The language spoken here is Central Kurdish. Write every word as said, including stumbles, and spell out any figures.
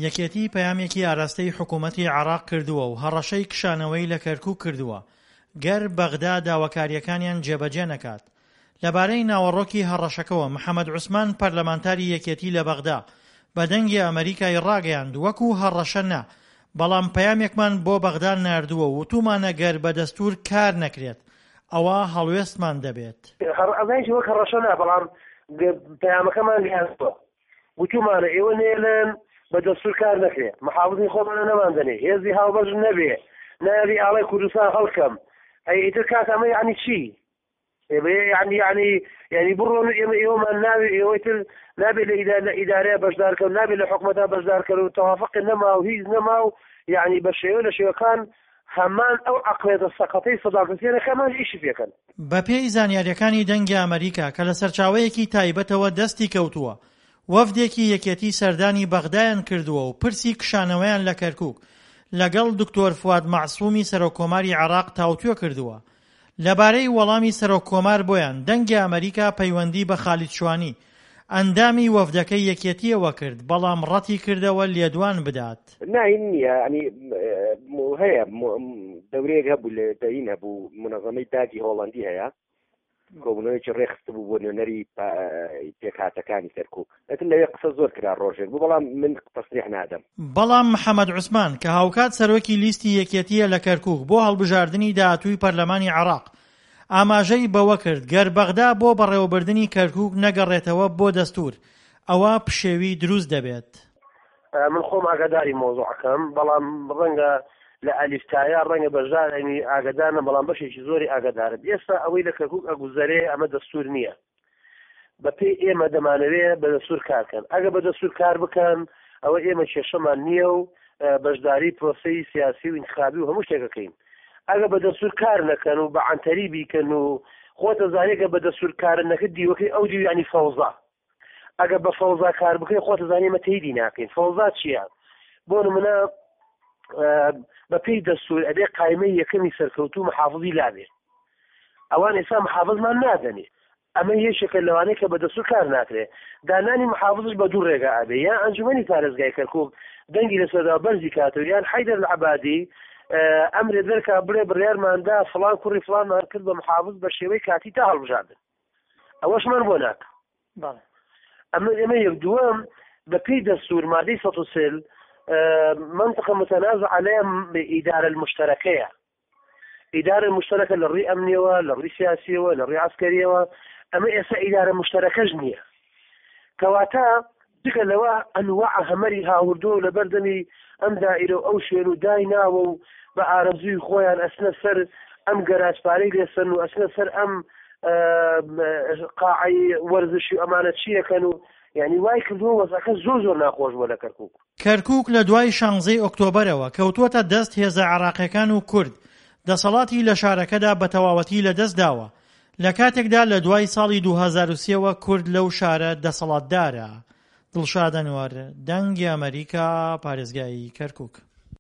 یەکێتی پەیامێکی ئاراستەی حکوومەتی عێراق کردووە و هەڕەشەی کشانەوەی لە کەرکووک کردووە گەر بەغدا داواکارییەکانیان جێبەجێ نەکات. لەبارەی ناوەڕۆکی هەڕەشەکەوە محەمەد عوسمان پەرلەمانتاری یەکێتی لە بەغدا بە دەنگی ئەمەریکای ڕاگەیاند وەکو هەڕەشە نا بەڵام پەیامێکمان بۆ بەغدا ناردووە و وتومانە گەر بە دەستور کار نەکرێت ئەوا هەڵوێستمان دەبێت. ئەزانیش وەک هەڕەشە نا بەڵام پەیامەکەمان گەیاندووە وتومانە ئێوە نێلن بە دەستور کار نەکرێ محافظی خۆمانە نەماندەنێ هێزی هاوبەش نەبێ ناوی ئاڵای کوردستان هەڵکەم ئەی ئیتر کاک ئەمە یعنی چی؟ یعنی یعنی یعنی بڕۆن ئێمە ئێوەمان ناوی ئێوەی تر نابێت لە ئیدارە لە ئیدارەیە بەشدارکەن نابێت لە حکومەتا بەشدارکەن و تەوافق نەما و هیچ نەما و یعنی بە شێوە لە شێوەکان هەمان ئەو عەقڵیەتە سەقەتەی سەدام حوسێنە کەمان ئیشی پێکەن. بەپێی زانیارییەکانی دەنگی ئەمەریکا کە لە سەرچاوەیەکی تایبەتەوە دەستی کەوتووە، وەفدێکی یەکێتی سەردانی بەغدایان کردووە و پرسی کشانەوەیان لە کەرکوک لەگەڵ دکتۆر فواد مەعسومی سەرۆککۆماری عێراق تاوتوێ کردووە. لەبارەی وەڵامی سەرۆککۆمار بۆیان، دەنگی ئەمەریکا پەیوەندی بە خالید شوانی، ئەندامی وەفدەکەی یەکێتییەوە کرد، بەڵام ڕەتیکردەوە لێدوان بدات. نا هین نییە یانی هەیە دەورەیەک هەبوو لە دەین هەبوو منەظەمەی دادی هۆڵەندی هەیە کۆبوونەوەیەکی ڕێکخستبوو بۆ نوێنەری پێکهاتەکانی کەرکوک ئەتر لەوێ قسە زۆر کرا ڕۆژێک بوو بەڵام من تەسریح نادەم. بەڵام محەمەد عوسمان کە هاوکات سەرۆکی لیستی یەکێتییە لە کەرکوک بۆ هەڵبژاردنی داهاتووی پەرلەمانی عێراق ئاماژەی بەوەکرد، گەر بەغدا بۆ بەڕێوەبردنی کەرکوک نەگەڕێتەوە بۆ دەستور ئەوا پشێوی دروست دەبێت. من خۆم ئاگاداری مەوزوعەکەم بەڵام ڕەنگە لە ئەلیف تایا ڕەنگە بەشدار ئەنی ئاگادار نەم بەڵام بەشێکی زۆری ئاگادارم ئێستا ئەوەی لە کەرکوک ئەگوزەرێ ئەمە دەستور نییە بەپێی ئێمە دەمانەوێ بە دەستور کار کەن ئەگە بە دەستور کار بکەن ئەوە ئێمە کێشەمان نییە و بەشداری پرۆسەی سیاسی و ئینتخابی و هەموو شتێک ئەکەین ئەگە بە دەستور کار نەکەن و بە عەنتەری بیکەن و خۆتە زانێ گە بە دەستور کارن نەکرد دیوەکەی ئەو دیو یعنی فەوزا ئەگە بە فەوزا کار بکەی خۆتە زانێ ئێمە تەیدی ناکەین فەوزا چییە بۆ نمونە بە پێی دەستور ئەبێ قایمەی یەکەمی سەرکەوتوو محافظی لابێ ئەوان ئێستا محافظمان نادەنێ ئەمە یەکێکە لەوانەی کە بە دەستور کار ناکرێ دانانی محافظش بە دوو ڕێگا ئەبێ یان ئەنجومەنی پارێزگای کەرکوک دەنگی لەسەردا بەرزی کاتەوە یان حەیدەر العەبادی ئەمرێ دەرکا بڵێ بڕیارماندا فڵان کوڕی فڵانمان کرد بە محافظ بە شێوەی کاتی تا هەڵبژاردن ئەوەشمان بۆ ناکا بەڵێ ئەمە ئێمە یەک دووەم بە پێی دەستور مادەی سەد و چل منطقە متنازع عليها ئیدارە المشترکەیە ئیدارە مشترکە لە ڕووی ئەمنیەوە لە ڕووی سیاسیەوە لە ڕووی عەسکەریەوە ئەمە ئێستا ئیدارە مشترکەش نییە کەواتە جگە لەوە ئەنواع هەمەری هاوردووە و لەبەردەمی ئەم دائیرە و ئەو شوێن و دایناوە و بە ئارەزووی خۆیان ئەچنە سەر ئەم گەراج پارەی لێسەن و ئەچنە سەر ئەم قاعەی وەرزشی و ئەمانە چیەکەن و یعنی وای کردووە وەزعەکە زۆر زۆر ناخۆش بووە لە کەرکوک. کەرکوک لە دوای شانزەی ئۆکتۆبەرەوە کەوتووەتە دەست هێزە عێراقیەکان و کورد دەسەڵاتی لە شارەکەدا بە تەواوەتی لەدەست داوە، لە کاتێکدا لە دوای ساڵی دوو هەزار و سێ وە کورد لەو شارە دەسەڵاتدارە. دڵشاد ئەنوەر، دەنگی ئەمەریکا، پارێزگای کەرکوک.